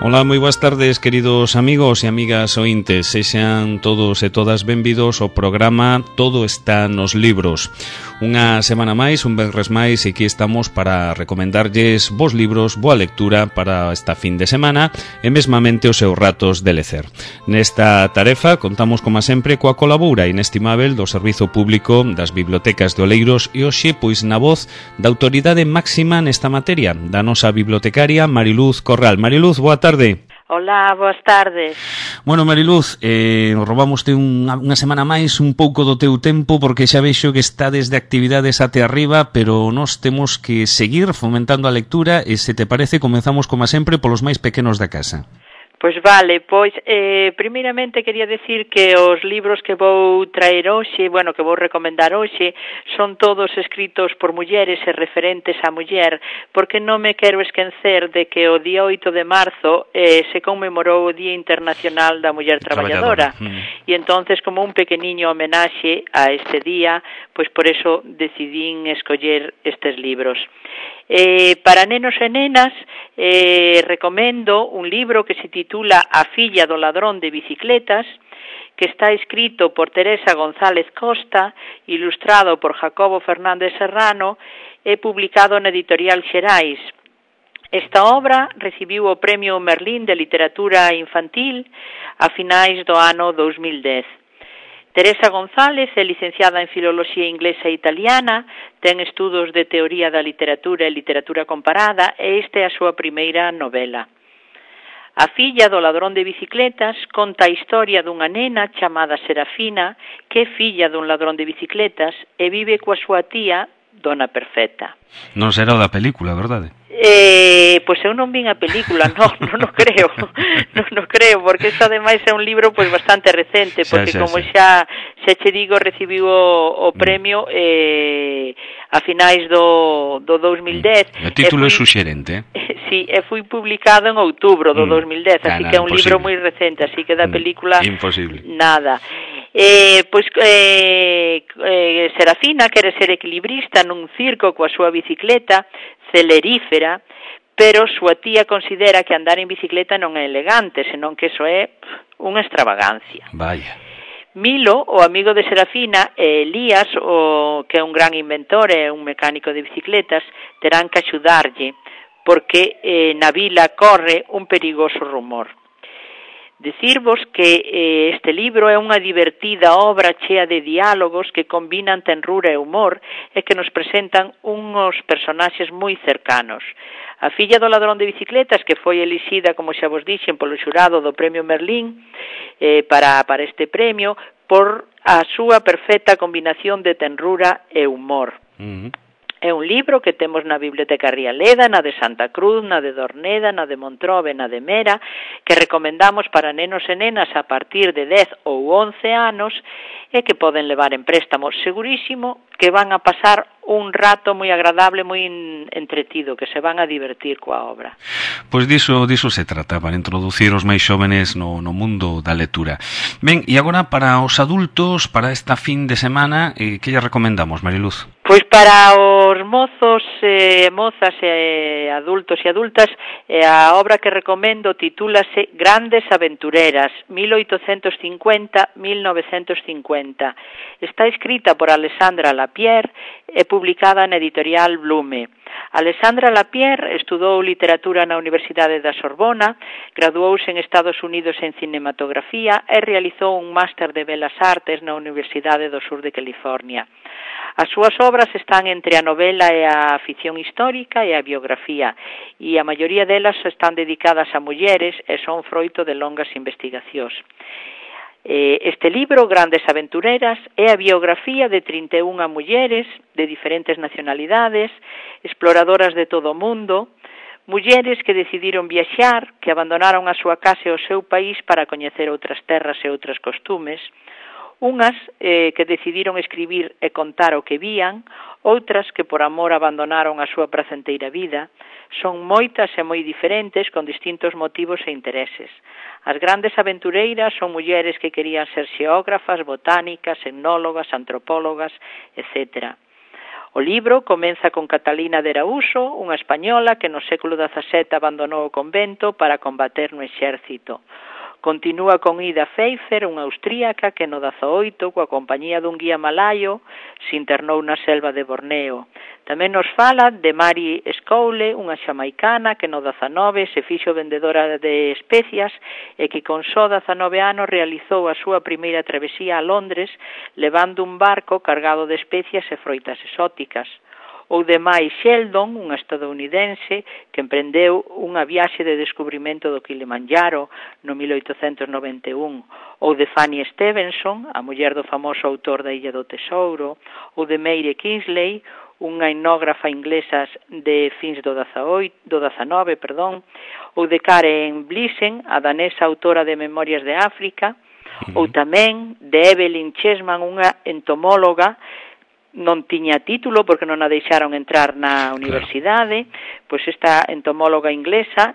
Ola, moi boas tardes, queridos amigos e amigas ointes. Sexan todos e todas benvidos ao programa Todo está nos libros. Unha semana máis, un venres máis, e aquí estamos para recomendarlles vos libros, boa lectura para esta fin de semana e mesmamente os seus ratos de lecer. Nesta tarefa contamos, como sempre, coa colaboura inestimável do Servizo Público das Bibliotecas de Oleiros e hoxe, pois, na voz da autoridade máxima nesta materia, da nosa bibliotecaria Mariluz Corral. Mariluz, boa tarde. Hola, boas tardes. Bueno, Mariluz, roubámoste unha semana máis un pouco do teu tempo porque xa vexo que está desde actividades até arriba, pero nós temos que seguir fomentando a lectura e, se te parece, comezamos, como sempre, polos máis pequenos da casa. Pois vale, primeiramente quería decir que os libros que vou traer hoxe, que vou recomendar hoxe, son todos escritos por mulleres e referentes á muller, porque non me quero esquecer de que o día 8 de marzo se conmemorou o Día Internacional da Muller Traballadora. E entonces, como un pequeniño homenaxe a este día, pois por eso decidín escoller estes libros. Para nenos e nenas recomendo un libro que se titula A filla do ladrón de bicicletas, que está escrito por Teresa González Costa, ilustrado por Jacobo Fernández Serrano e publicado na editorial Xerais. Esta obra recibiu o Premio Merlín de Literatura Infantil a finais do ano 2010. Teresa González é licenciada en Filoloxía Inglesa e Italiana, ten estudos de Teoría da Literatura e Literatura Comparada e esta é a súa primeira novela. A filla do ladrón de bicicletas conta a historia dunha nena chamada Serafina que é filla dun ladrón de bicicletas e vive coa súa tía, Dona Perfecta. Non será o da película, verdade? Pois eu non vin a película, non creo, non creo, porque isto ademais é un libro pois bastante recente, porque xa che digo, recibiu o premio a finais do 2010. O título é suxerente, Sí, e foi publicado en outubro do 2010, así que é un libro moi recente, así que da película imposible. Nada. Serafina quere ser equilibrista nun circo coa súa bicicleta celerífera, pero súa tía considera que andar en bicicleta non é elegante, senón que iso é unha extravagancia. Vaya. Milo, o amigo de Serafina, e Elías, que é un gran inventor e un mecánico de bicicletas, terán que axudarlle, porque na vila corre un perigoso rumor. Dicirvos que este libro é unha divertida obra chea de diálogos que combinan tenrura e humor e que nos presentan uns personaxes moi cercanos. A filla do ladrón de bicicletas, que foi elixida, como xa vos dixen, polo xurado do Premio Merlín para este premio, por a súa perfecta combinación de tenrura e humor. É un libro que temos na Biblioteca Rialeda, na de Santa Cruz, na de Dorneda, na de Montrobe, na de Mera, que recomendamos para nenos e nenas a partir de 10 ou 11 anos e que poden levar en préstamo. Segurísimo que van a pasar un rato moi agradable, moi entretido, que se van a divertir coa obra. Pois diso se trata, para introducir os máis xóvenes no mundo da lectura. Ben, e agora para os adultos, para esta fin de semana, que lle recomendamos, Mariluz? Pois para os mozos, mozas, adultos e adultas, a obra que recomendo titúlase Grandes Aventureras, 1850-1950. Está escrita por Alessandra Lapierre e publicada na editorial Blume. Alessandra Lapierre estudou literatura na Universidade da Sorbona, graduouse en Estados Unidos en cinematografía e realizou un máster de Belas Artes na Universidade do Sur de California. As súas obras están entre a novela e a ficción histórica e a biografía, e a maioría delas están dedicadas a mulleres e son froito de longas investigacións. Este libro, Grandes Aventureras, é a biografía de 31 mulleres de diferentes nacionalidades, exploradoras de todo o mundo, mulleres que decidiron viaxar, que abandonaron a súa casa e o seu país para coñecer outras terras e outros costumes, unhas que decidiron escribir e contar o que vían, outras que por amor abandonaron a súa pracenteira vida. Son moitas e moi diferentes, con distintos motivos e intereses. As grandes aventureiras son mulleres que querían ser xeógrafas, botánicas, etnólogas, antropólogas, etc. O libro comeza con Catalina de Araújo, unha española que no século XVII abandonou o convento para combater no exército. Continúa con Ida Pfeiffer, unha austríaca que no 18, coa compañía dun guía malayo, se internou na selva de Borneo. Tamén nos fala de Mary Scowle, unha xamaicana que no 19 se fixo vendedora de especias e que con só 19 anos realizou a súa primeira travesía a Londres levando un barco cargado de especias e froitas exóticas. Ou de Mai Sheldon, unha estadounidense que emprendeu unha viaxe de descubrimento do Kilimanjaro no 1891, ou de Fanny Stevenson, a muller do famoso autor da Illa do Tesouro, ou de Meire Kingsley, unha etnógrafa inglesa de fins do 19, ou de Karen Blixen, a danesa autora de Memorias de África, ou tamén de Evelyn Chessman, unha entomóloga non tiña título porque non a deixaron entrar na universidade, pois esta entomóloga inglesa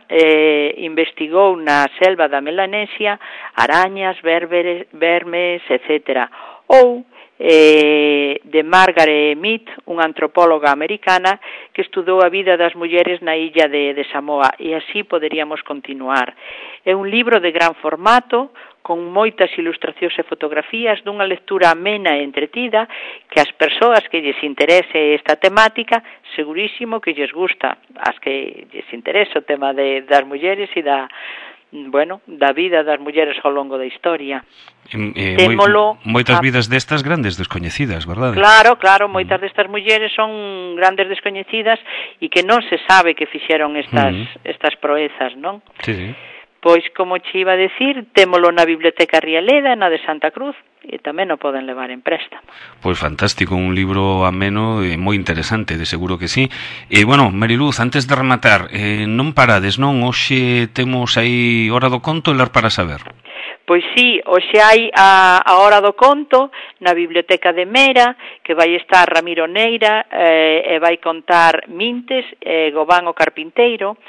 investigou na selva da Melanesia arañas, vermes, etc. Ou de Margaret Mead, unha antropóloga americana que estudou a vida das mulleres na illa de Samoa, e así poderíamos continuar. É un libro de gran formato, con moitas ilustracións e fotografías, dunha lectura amena e entretida, que as persoas que lles interese esta temática, segurísimo que lles gusta, as que lles interesa o tema das mulleres e da vida das mulleres ao longo da historia. Moitas vidas destas grandes descoñecidas, verdade? Claro, moitas destas mulleres son grandes descoñecidas e que non se sabe que fixeron estas proezas, non? Sí. Pois, como che iba a decir, témolo na Biblioteca Rialeda, na de Santa Cruz, e tamén o poden levar en préstamo. Pois fantástico, un libro ameno e moi interesante, de seguro que sí. E, Mariluz, antes de rematar, non parades, non? Hoxe temos aí Hora do Conto e Ler para Saber. Pois sí, hoxe hai a Hora do Conto na Biblioteca de Mera, que vai estar Ramiro Neira e vai contar Mintes e Gobán o Carpinteiro.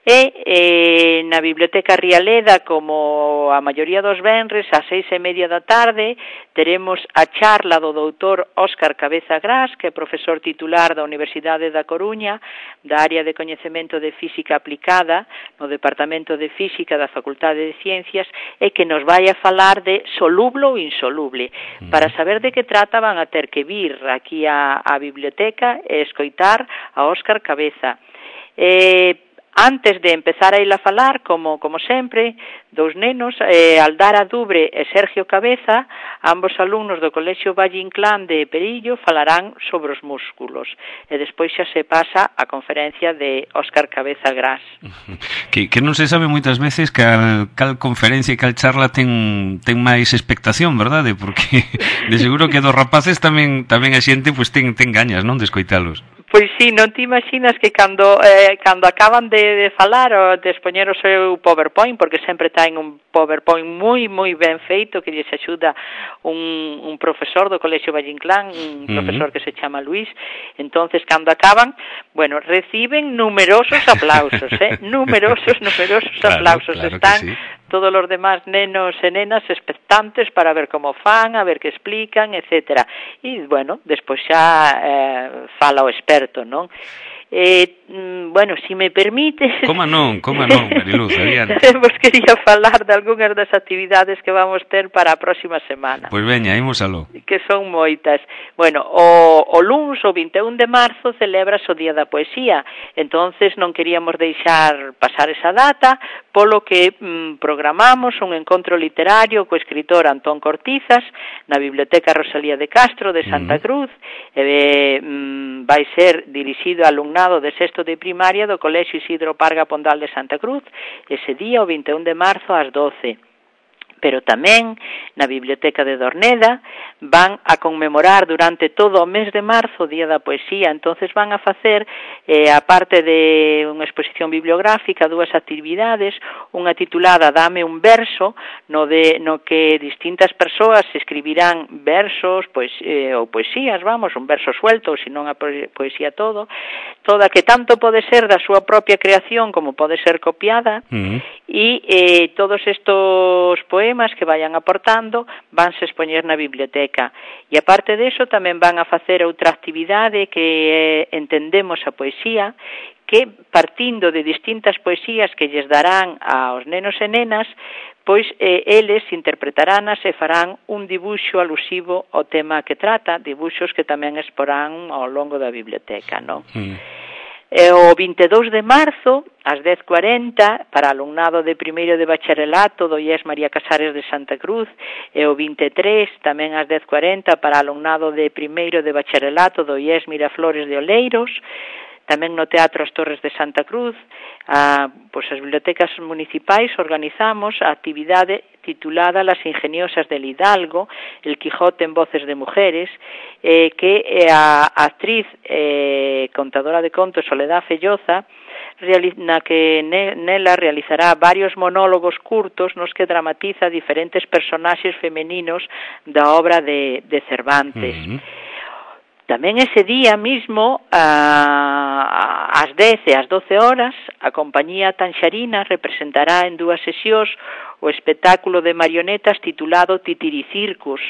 E na Biblioteca Rialeda, como a maioría dos venres, ás 6:30 da tarde, teremos a charla do doutor Óscar Cabeza Gras, que é profesor titular da Universidade da Coruña, da área de coñecemento de Física Aplicada, no Departamento de Física da Facultade de Ciencias, e que nos vai a falar de soluble ou insoluble. Para saber de que trata van a ter que vir aquí á biblioteca e escoitar a Óscar Cabeza. Antes de empezar a ir a falar, como sempre, dous nenos, Aldara Dubre e Sergio Cabeza, ambos alumnos do Colexio Valle Inclán de Perillo, falarán sobre os músculos. E despois xa se pasa a conferencia de Óscar Cabeza Gras. Que non se sabe moitas veces cal conferencia e cal charla ten máis expectación, verdade? Porque de seguro que dos rapaces tamén a xente pues, ten gañas, non, de escoitalos. Pois sí, non te imaginas que cando acaban de falar ou de expoñer o seu PowerPoint, porque sempre ten un PowerPoint moi ben feito que lles axuda un profesor do Colexio Valle Inclán, un profesor que se chama Luís. Entonces, cando acaban, reciben numerosos aplausos, numerosos aplausos. Claro están que sí. Todos os demás nenos e nenas expectantes para ver como fan, a ver que explican, etcétera. E, despois xa fala o experto, non? Si me permites... Como non, Mariluz, adiante. Vos quería falar de algunhas das actividades que vamos ter para a próxima semana. Pois veña, ímosalo. Que son moitas. O luns, o 21 de marzo, celebras o Día da Poesía. Entonces non queríamos deixar pasar esa data, polo que programamos un encontro literario co escritor Antón Cortizas na Biblioteca Rosalía de Castro de Santa Cruz. Vai ser dirixido a alumnado de sexto de primaria do Colexio Isidro Parga Pondal de Santa Cruz, ese día, o 21 de marzo, ás 12. Pero tamén na Biblioteca de Dorneda van a conmemorar durante todo o mes de marzo o Día da Poesía. Entonces van a facer, a parte de unha exposición bibliográfica, dúas actividades, unha titulada Dame un verso, no que distintas persoas escribirán versos ou poesías, un verso suelto, ou senón a poesía toda que tanto pode ser da súa propia creación como pode ser copiada, e todos estos poemas temas que vayan aportando vanse expoñer na biblioteca. E aparte deso tamén van a facer outra actividade que entendemos a poesía, que partindo de distintas poesías que lles darán aos nenos e nenas, pois eles interpretaránas e farán un dibuixo alusivo ao tema que trata, dibuixos que tamén exporán ao longo da biblioteca, non? O 22 de marzo, ás 10:40, para alumnado de primeiro de bacharelato do IES María Casares de Santa Cruz, e o 23, tamén ás 10:40, para alumnado de primeiro de bacharelato do IES Miraflores de Oleiros, tamén no Teatro As Torres de Santa Cruz. Pois as bibliotecas municipais organizamos a actividade titulada Las ingeniosas del Hidalgo, el Quijote en voces de mujeres, que a actriz contadora de contos Soledad Felloza, na que nela realizará varios monólogos curtos nos que dramatiza diferentes personaxes femeninos da obra de Cervantes. Tamén ese día mismo, ás 10 e ás 12 horas, a compañía Tanxarina representará en 2 sesións o espectáculo de marionetas titulado Titiricircus,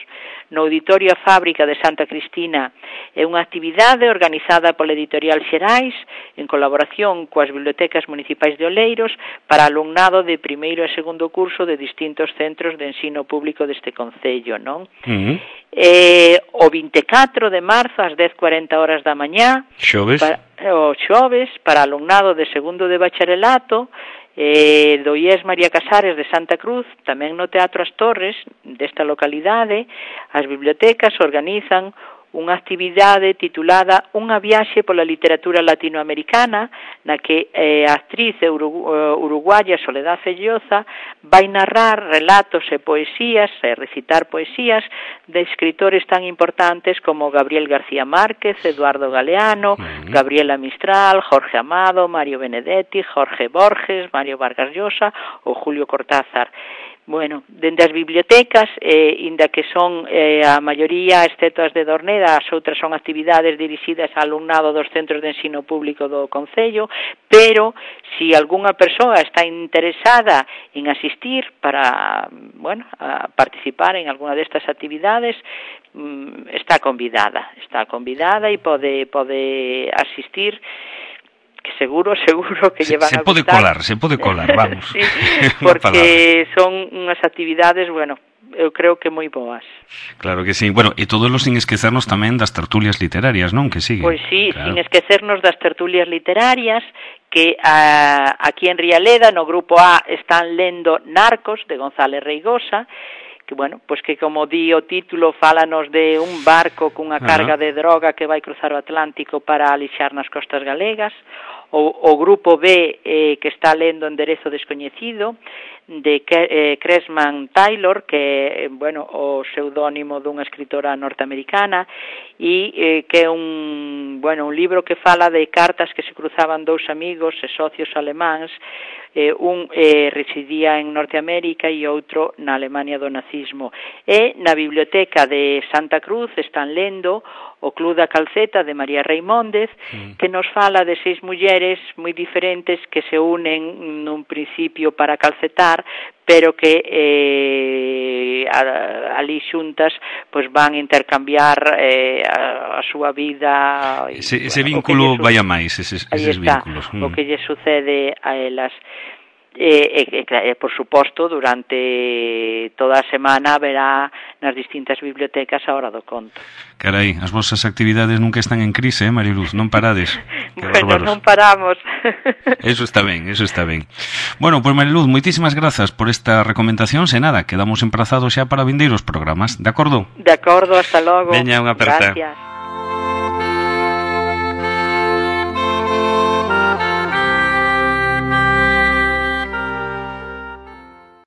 no Auditorio A Fábrica de Santa Cristina. É unha actividade organizada pola Editorial Xerais, en colaboración coas bibliotecas municipais de Oleiros, para alumnado de primeiro e segundo curso de distintos centros de ensino público deste concello, non? O 24 de marzo, ás 10:40 horas da mañá, o xoves, para alumnado de segundo de bacharelato, do IES María Casares de Santa Cruz, tamén no Teatro As Torres desta localidade, as bibliotecas organizan unha actividade titulada Unha viaxe pola literatura latinoamericana, na que a actriz uruguaya Soledad Felloza vai narrar relatos e poesías, e recitar poesías de escritores tan importantes como Gabriel García Márquez, Eduardo Galeano, Gabriela Mistral, Jorge Amado, Mario Benedetti, Jorge Borges, Mario Vargas Llosa ou Julio Cortázar. Bueno, dende as bibliotecas, inda que son a maioría, excepto as de Dorneda, as outras son actividades dirixidas ao alumnado dos centros de ensino público do concello, pero se algunha persoa está interesada en asistir para, bueno, a participar en alguna destas actividades, está convidada e pode asistir, que seguro que lle van a gustar. Se pode colar, vamos. Sí, porque son unhas actividades, bueno, eu creo que moi boas. Claro que sí. Bueno, e todos los sin esquecernos tamén das tertulias literarias, non? Que siguen. Pois sí, claro. Sin esquecernos das tertulias literarias, que aquí en Rialeda, no grupo A, están lendo Narcos, de González Reigosa, que, bueno, pois que como di o título, fálanos de un barco cunha carga de droga que vai cruzar o Atlántico para alixar nas costas galegas. O grupo B, que está lendo Enderezo descoñecido, de Cresman Taylor, que bueno, o pseudónimo dunha escritora norteamericana, e que é un libro que fala de cartas que se cruzaban dous amigos e socios alemáns, un residía en Norteamérica e outro na Alemania do nazismo. E na biblioteca de Santa Cruz están lendo o Club da Calceta de María Reimóndez, que nos fala de 6 mulleres moi diferentes que se unen nun principio para calcetar, pero que ali xuntas pois van intercambiar a súa vida. Ese vínculo vai a máis, eses vínculos. O que lle sucede a elas. Por suposto, durante toda a semana haberá nas distintas bibliotecas a Hora do Conto. Carai, as vosas actividades nunca están en crise, Mariluz, non parades. Bueno, non paramos. Eso está ben. Bueno, pois Mariluz, moitísimas grazas por esta recomendación, e nada, quedamos emprazados xa para vindeiros programas, de acordo? De acordo, hasta logo. Veña, unha aperta. Gracias.